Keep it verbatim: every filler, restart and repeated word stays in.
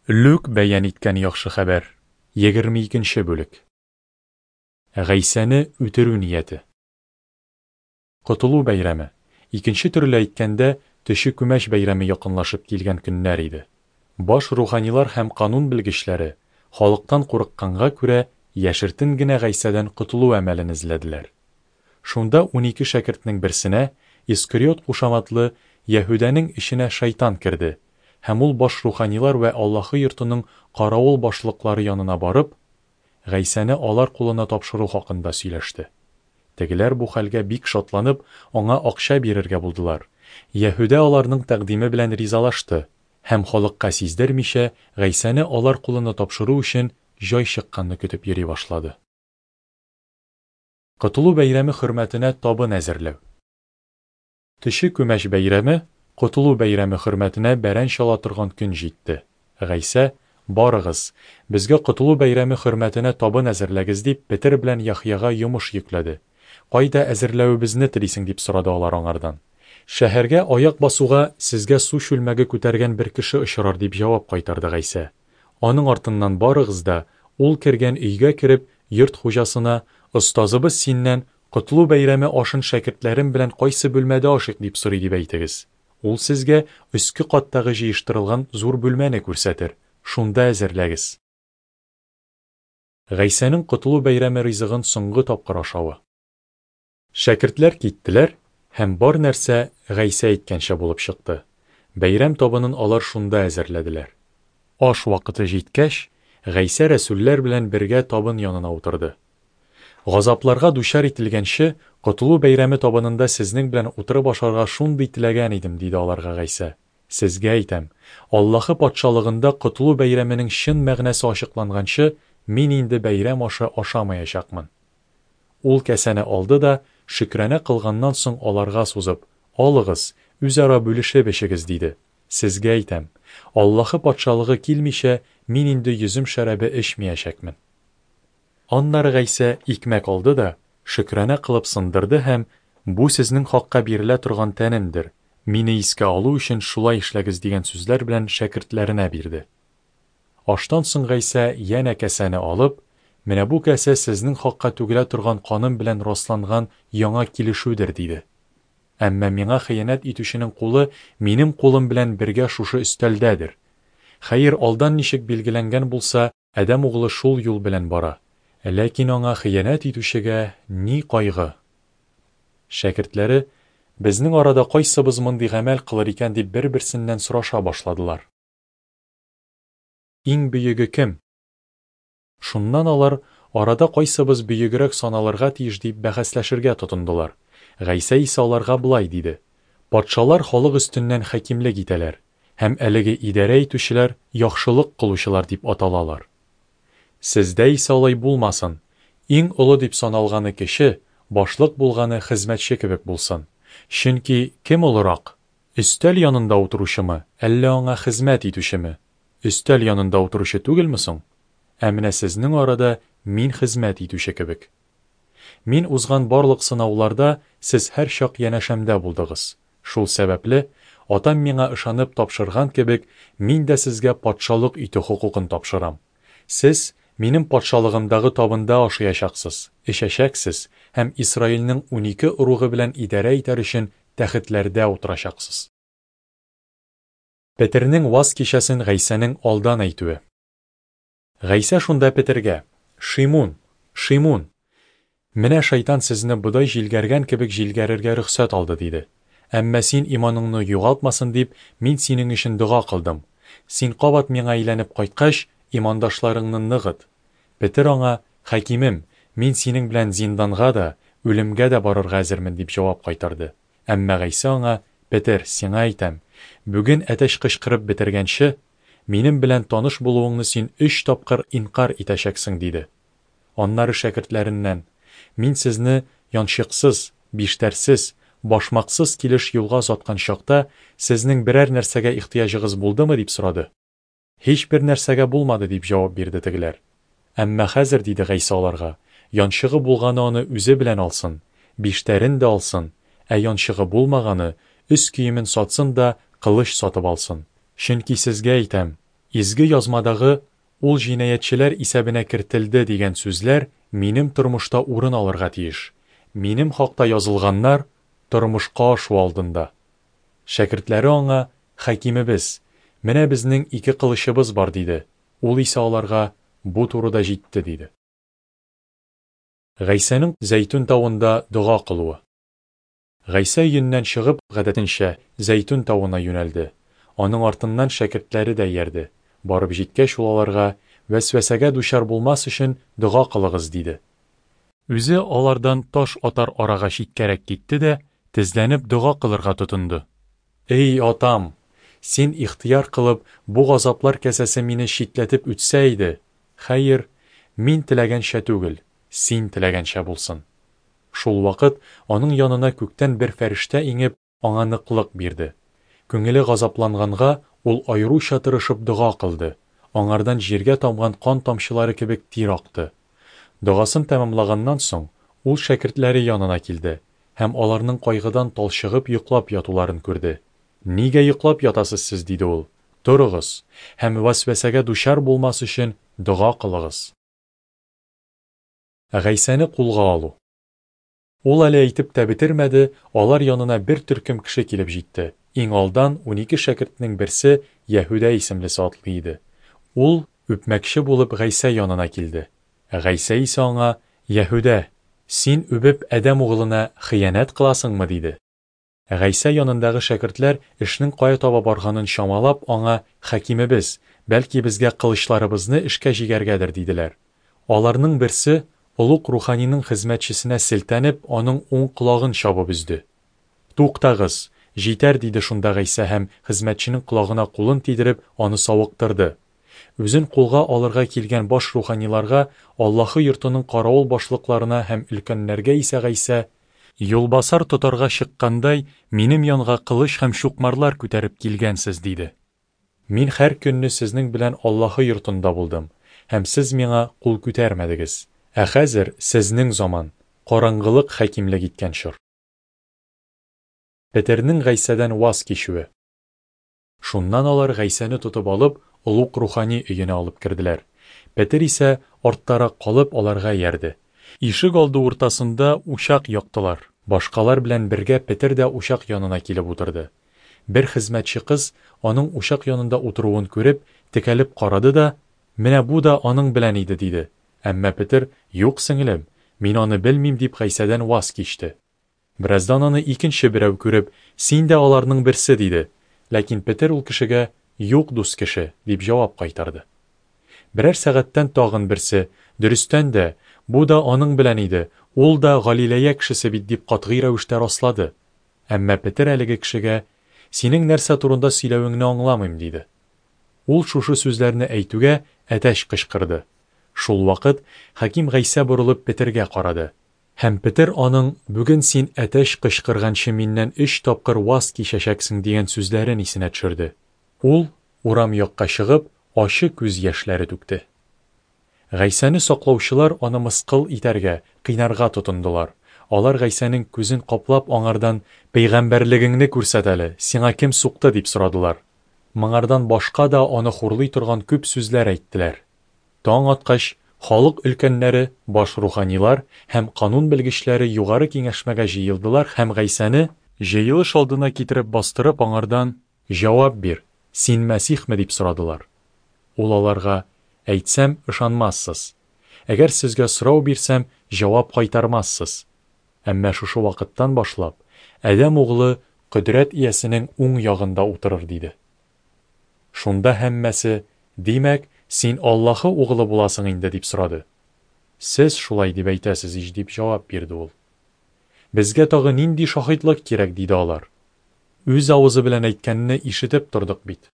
Лүк бәян иткән Яхшы хәбәр, егерме икенче бүлек. Гайсәне үтерү нияте. Котылу бәйрәме, икенче төрле әйткәндә, төче күмәч бәйрәме якынлашып килгән көннәр иде. Баш руханилар һәм канун белгечләре, халыктан курыкканга күрә, яшертен генә Гайсәдән котылу әмәлен эзләделәр. Шунда унике шәкертнең берсенә, Искариот кушаматлы Яһүдәнең эченә шайтан керде, һәм ул баш руханилар вә Аллаһы йортының каравыл башлыклары янына барып, Гайсәне алар кулына тапшыру хакында сөйләште. Тегеләр бу хәлгә бик шатланып, аңа акча бирергә булдылар. Яһүдә аларның тәкъдиме белән ризалашты һәм халыкка сиздермичә, Гайсәне алар кулына тапшыру өчен җай чыкканны көтеп йөри башлады. Котылу бәйрәме хөрмәтенә табын әзерләү. Төче күмәч бәйрәме, Котылу бәйрәме хөрмәтенә бәрән чала торган көн җитте. Гайсә: Барыгыз, безгә Котылу бәйрәме хөрмәтенә табын әзерләгез, дип, Петер белән Яхъяга йомыш йөкләде. Кайда әзерләвебезне телисең, дип сорады алар аңардан. Шәһәргә аяк басуга, сезгә су чүлмәге күтәргән бер кеше очрар, дип җавап кайтарды Гайсә. Аның артыннан барыгыз да, ул кергән өйгә кереп, йорт хуҗасына: Остазыбыз синнән, Котылу бәйрәме ашын шәкертләрем белән кайсы бүлмәдә ашыйк, дип сорый, дип әйтегез. Ул сезгә өске каттагы җыештырылган зур бүлмәне күрсәтер. Шунда әзерләгез. Гайсәнең Котылу бәйрәме ризыгын соңгы тапкыр ашавы. Шәкертләр киттеләр, һәм бар нәрсә Гайсә әйткәнчә булып чыкты. Бәйрәм табынын алар шунда әзерләделәр. Аш вакыты җиткәч, Гайсә рәсүлләр белән бергә табын янына утырды. Газапларга дучар ителгәнче, Котылу бәйрәме табынында сезнең белән утырып ашарга шундый теләгән идем, диде аларга Гайсә. Сезгә әйтәм, Аллаһы патшалыгында Котылу бәйрәменең чын мәгънәсе ачыкланганчы, мин инде бәйрәм ашы ашамаячакмын. Ул кәсәне алды да, шөкрана кылганнан соң аларга сузып: Алыгыз, үзара бүлешеп эчегез, диде. Сезгә әйтәм, Аллаһы патшалыгы килмичә, мин инде йөзем шәрабе эчмәячәкмен. Аннары Гайсә икмәк алды да, шөкрана кылып сындырды һәм: Бу сезнең хакка бирелә торган тәнемдер, мине искә алу өчен шулай эшләгез, дигән сүзләр белән шәкертләренә бирде. Аштан соң Гайсә янә кәсәне алып: Менә бу кәсә сезнең хакка түгелә торган каным белән расланган яңа килешүдер, диде. Әмма миңа хыянәт итүченең кулы минем кулым белән бергә шушы өстәлдәдер. Хәер, алдан ничек билгеләнгән булса, Адәм углы шул юл белән бара. Ләкин аңа хыянәт итүчегә ни кайгы? Шәкертләре: Безнең арада кайсыбыз мондый гамәл кылыр икән, дип бер-берсеннән сораша башладылар. Иң бөеге кем? Шуннан алар, арада кайсыбыз бөегрәк саналырга тиеш, дип бәхәсләшергә тотындылар. Гайсә исә аларга болай диде: Патшалар халык өстеннән хакимлек итәләр, һәм әлеге идарә итүчеләр яхшылык кылучылар дип аталалар. Сездә исә алай булмасын. Иң олы дип саналганы кеше, башлык булганы хезмәтче кебек булсын. Чөнки кем олырак? Өстәл янында утыручымы, әллә аңа хезмәт итүчеме? Өстәл янында утыручы түгелме соң? Ә менә сезнең арада мин хезмәт итүче кебек. Мин узган барлык сынауларда сез һәр чак янәшәмдә булдыгыз. Шул сәбәпле, Атам миңа ышанып тапшырган кебек, мин дә сезгә патшалык итү хокукын тапшырам. Сез минем патшалыгымдагы табында ашаячаксыз, эчәчәксез һәм Исраилнең унике ыругы белән идарә итәр өчен тәхетләрдә утырачаксыз. Петернең ваз кичәсен Гайсәнең алдан әйтүе. Гайсә шунда Петергә: Шимун, Шимун, менә шайтан сезне бодай җилгәргән кебек җилгәрергә рөхсәт алды, диде. Әмма син иманыңны югалтмасын дип, мин синең өчен дога кылдым. Син кабат миңа әйләнеп кайткач, имандашларыңны ныгыт. Петер аңа: Хакимем, мин синең белән зинданга да, үлемгә дә барырга әзермен, дип җавап кайтарды. Әмма Гайсә аңа: Петер, сиңа әйтәм, бүген әтәч кычкырып бетергәнче, минем белән таныш булуыңны син өч тапкыр инкар итәчәксең, диде. Аннары шәкертләреннән: Мин сезне янчыксыз, биштәрсез, башмаксыз килеш юлга озаткан чакта, сезнең берәр нәрсәгә ихтыяҗыгыз булдымы, дип сорады. Һич бер нәрсәгә булмады, дип җавап бирде тегеләр. Әмма хәзер, диде Гайсә аларга, янчыгы булганы аны үзе белән алсын, биштәрен дә алсын, ә янчыгы булмаганы өс киемен сатсын да кылыч сатып алсын. Чөнки сезгә әйтәм, Изге Язмадагы Ул җинаятьчеләр исәбенә кертелде дигән сүзләр минем тормышта урын алырга тиеш. Минем хакта язылганнар тормышка ашу алдында. Шәкертләре аңа, Хакимебез, менә безнең ике кылычыбыз бар, диде. Ул исә аларга, Бу турыда җитте, диде. Гайсәнең Зәйтүн тавында дога кылуы. Гайсә өеннән чыгып, гадәтенчә, Зәйтүн тавына юнәлде. Аның артыннан шәкертләре дә иярде. Барып җиткәч, ул аларга, Вәсвәсәгә дучар булмас өчен, дога кылыгыз, диде. Үзе алардан таш атар арага читкәрәк китте дә, тезләнеп дога кылырга тотынды. Эй, Атам! Син ихтыяр кылып, бу газаплар касәсе мине читләтеп үтсә иде. Хәер, мин теләгәнчә түгел, син теләгәнчә булсын. Шул вакыт аның янына күктән бер фәрештә иңеп, аңа ныклык бирде. Күңеле газапланганга, ул аеруча тырышып дога кылды. Аңардан җиргә тамган кан тамчылары кебек тир акты. Догасын тәмамлаганнан соң, ул шәкертләре янына килде һәм аларның кайгыдан талчыгып йоклап ятуларын күрде. Нигә йоклап ятасыз сез? диде ул. Торыгыз һәм вәсвәсәгә дучар булмас өчен дога кылыгыз. Гайсәне кулга алу. Ул әле әйтеп тә бетермәде, алар янына бер төркем кеше килеп җитте. Иң алдан унике шәкертнең берсе Яһүдә исемлесе атлый иде. Ул, үпмәкче булып, Гайсә янына килде. Гайсә исә аңа, Яһүдә, син үбеп Адәм угылына хыянәт кыласыңмы? диде. Гайсә янындагы шәкертләр эшнең кая таба барганын чамалап, аңа, Хакимебез, бәлки безгә кылычларыбызны эшкә җигәргәдер, диделәр. Аларның берсе, олуг руханиның хезмәтчесенә селтәнеп, аның уң колагын чабып өзде. Туктагыз, җитәр, диде шунда Гайсә һәм хезмәтченең колагына кулын тидереп, аны савыктырды. Үзен кулга алырга килгән баш руханиларга, Аллаһы йортының каравыл башлыкларына һәм өлкәннәргә исә Гайсә, Юлбасар тотарга чыккандай, минем янга кылыч һәм чукмарлар күтәреп килгәнсез, диде. Мин һәр көнне сезнең белән Аллаһы йортында булдым, һәм сез миңа кул күтәрмәдегез. Ә хәзер сезнең заман, караңгылык хакимлек иткән чор. Петернең Гайсәдән ваз кичүе. Шуннан алар Гайсәне тотып алып, олуг рухани өенә алып керделәр. Петер исә арттарак калып аларга иярде. Ишек алды уртасында учак яктылар. Башкалар белән бергә Петер дә учак янына килеп утырды. Бер хезмәтче кыз аның учак янында утыруын күреп, текәлеп карады да, Менә бу да аның белән иде, диде. Әмма Петер, Юк, сеңлем, мин аны белмим, дип Гайсәдән ваз кичте. Бераздан аны икенче берәү күреп, Син дә аларның берсе, диде. Ләкин Петер ул кешегә, Юк, дус кеше, дип җавап кайтарды. Берәр сәгатьтән тагын берсе, Дөрестән дә, бу да аның белән иде, ул да Галилея кешесе бит, дип катгый рәвештә раслады. Әмма Петер әлеге кешегә, Синең нәрсә турында сөйләвеңне аңламыйм, диде. Ул шушы сүзләрне әйтүгә әтәч кычкырды. Шул вакыт хаким Гайсә борылып Петергә карады. Һәм Петер аның, Бүген син әтәч кычкырганчы миннән өч тапкыр ваз кичәчәксең дигән сүзләрен исенә төшерде. Ул, урам якка чыгып, ачы күз яшьләре түкте. Гайсәне саклаучылар аны мыскыл итәргә, кыйнарга тотындылар. Алар Гайсәнең күзен каплап аңардан, Пәйгамбәрлегеңне күрсәт әле, сиңа кем сукты, дип сорадылар. Моңардан башка да аны хурлый торган күп сүзләр әйттеләр. Таң аткач, халык өлкәннәре, баш руханилар һәм канун белгечләре югары киңәшмәгә җыелдылар һәм Гайсәне җыелыш алдына китереп бастырып аңардан, Җавап бир, син Мәсихме, дип сорадылар. Ул аларга, Әйтсәм, ышанмассыз. Әгәр сезгә сорау бирсәм, җавап кайтармассыз. Әмма шушы вакыттан башлап, Адәм углы кодрәт иясенең уң ягында утырыр, диде. Шунда һәммәсе, Димәк, син Аллаһы углы буласың инде, дип сорады. Сез шулай дип әйтәсез ич, дип җавап бирде ул. Безгә тагы нинди шаһитлык кирәк, диде алар. Үз авызы белән әйткәнне ишетеп тордык бит.